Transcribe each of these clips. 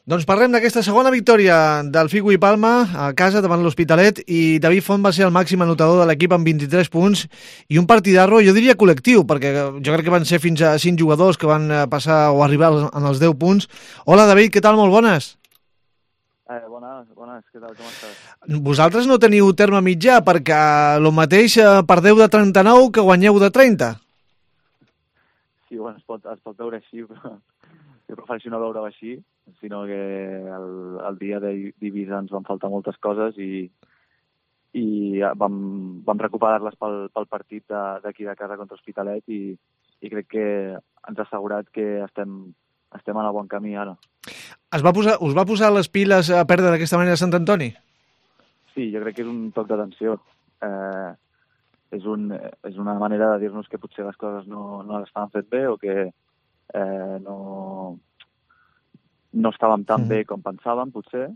Doncs parlem d'aquesta segona victòria del Figo i Palma a casa davant l'Hospitalet, i David Font va ser el màxim anotador de l'equip amb 23 punts i un partidarro, jo diria col·lectiu, perquè jo crec que van ser fins a 5 jugadors que van passar o arribar en els 10 punts. Hola David, què tal? Molt bones. Bones, què tal, com estàs? Vosaltres no teniu terme mitjà, perquè el mateix perdeu de 39 que guanyeu de 30. Sí, bueno, es pot veure així, però jo prefereixo no veure-ho així, sinó que el dia d'Eivissa ens van faltar moltes coses i vam recuperar-les pel partit d'aquí de casa contra Hospitalet i crec que ens ha assegurat que estem en el bon camí ara. Us va posar les piles a perdre d'aquesta manera a Sant Antoni? Sí, jo crec que és un toc d'atenció. És una manera de dir-nos que potser les coses no les estaven fet bé o que no estàvem tan bé com pensàvem, potser,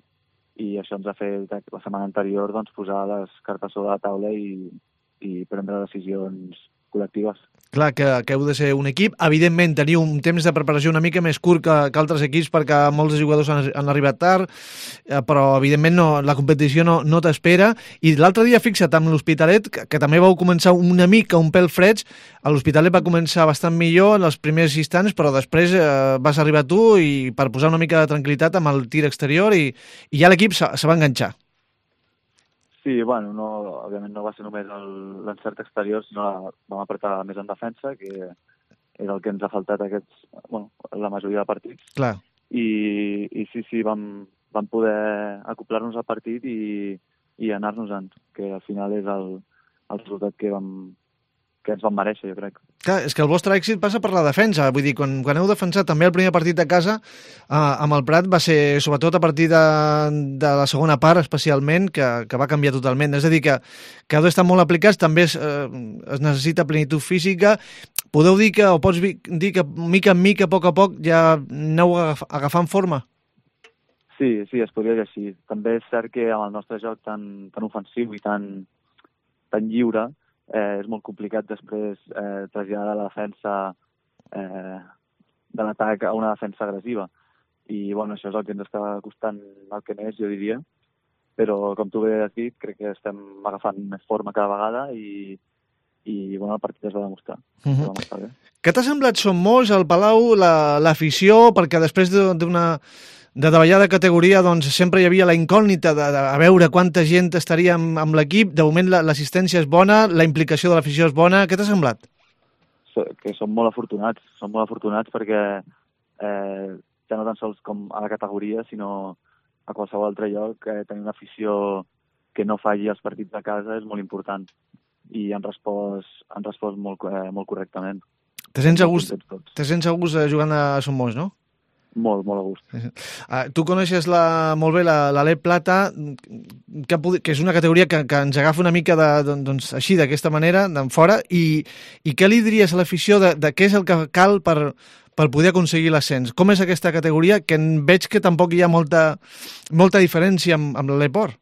i això ens ha fet la setmana anterior doncs, posar les cartes sobre la taula i prendre decisions col·lectives. Clar, que heu de ser un equip. Evidentment, teniu un temps de preparació una mica més curt que altres equips perquè molts jugadors han arribat tard, però evidentment la competició no t'espera. I l'altre dia, fixa't, amb l'Hospitalet, que també vau començar una mica un pèl freds, l'Hospitalet va començar bastant millor en els primers instants, però després vas arribar tu i per posar una mica de tranquil·litat amb el tir exterior i ja l'equip se va enganxar. Sí, bueno, òbviament no va ser només l'encert exterior, sinó vam apretar més en defensa, que és el que ens ha faltat la majoria de partits. Clar. I sí, vam poder acoplar-nos al partit i anar-nos-en, que al final és el resultat que ens vam mereixer, jo crec. Clar, és que el vostre èxit passa per la defensa. Vull dir, quan heu defensat també el primer partit de casa amb el Prat va ser, sobretot a partir de la segona part, especialment, que va canviar totalment. És a dir, que heu d'estar molt aplicats, també es necessita plenitud física. Podeu dir o pots dir que mica en mica, a poc ja aneu agafant forma? Sí, es podria dir així. També és cert que amb el nostre joc tan ofensiu i tan lliure, és molt complicat després traslladar la defensa de l'atac a una defensa agressiva. I bueno, això és el que ens està costant el que més, jo diria. Però, com tu bé has dit, crec que estem agafant més forma cada vegada i bueno, el partit es va demostrar. Va estar bé. Què t'ha semblat Som Molts, al Palau, l'afició? Perquè després de davallar de categoria, doncs sempre hi havia la incògnita de veure quanta gent estaria amb l'equip. De moment l'assistència és bona, la implicació de l'afició és bona. Què t'ha semblat? Que som molt afortunats perquè ja no tan sols com a la categoria, sinó a qualsevol altre lloc, tenir una afició que no falli els partits de casa és molt important i han respost molt correctament. Te sents a gust jugant a Som Molts, no? Molt a gust. Tu coneixes molt bé l'Alep Plata, que és una categoria que ens agafa una mica així, d'aquesta manera, d'en fora, i què li diries a l'afició de què és el que cal per poder aconseguir l'ascens? Com és aquesta categoria, que veig que tampoc hi ha molta diferència amb l'Aleport?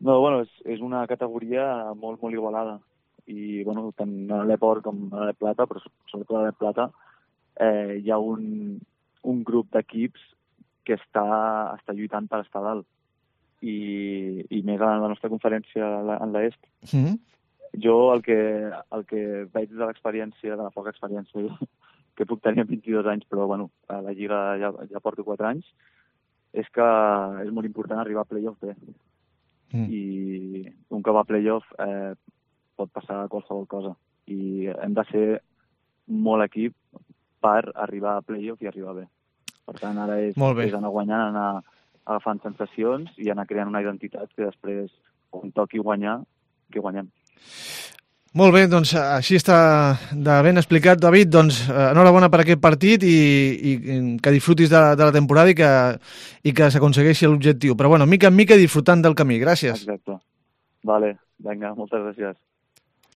No, bueno, és una categoria molt igualada, i bueno, tant a l'Aleport com a l'Alep Plata, però sobretot a l'Alep Plata, hi ha un grup d'equips que està lluitant per estar dalt i més a la nostra conferència en l'est. Jo el que veig de l'experiència, de la poca experiència que puc tenir amb 22 anys, però bueno, a la Lliga ja porto 4 anys, és que és molt important arribar a play-off bé. I un cop a play-off pot passar qualsevol cosa i hem de ser molt equip per arribar a play-off i arribar bé. Per tant, ara és anar guanyant, anar agafant sensacions i anar creant una identitat que després, quan toqui guanyar, que guanyem. Molt bé, doncs així està de ben explicat, David. Doncs enhorabona per aquest partit i que disfrutis de la temporada i que s'aconsegueixi l'objectiu. Però bueno, mica en mica disfrutant del camí. Gràcies. Exacte. Vale, vinga, moltes gràcies.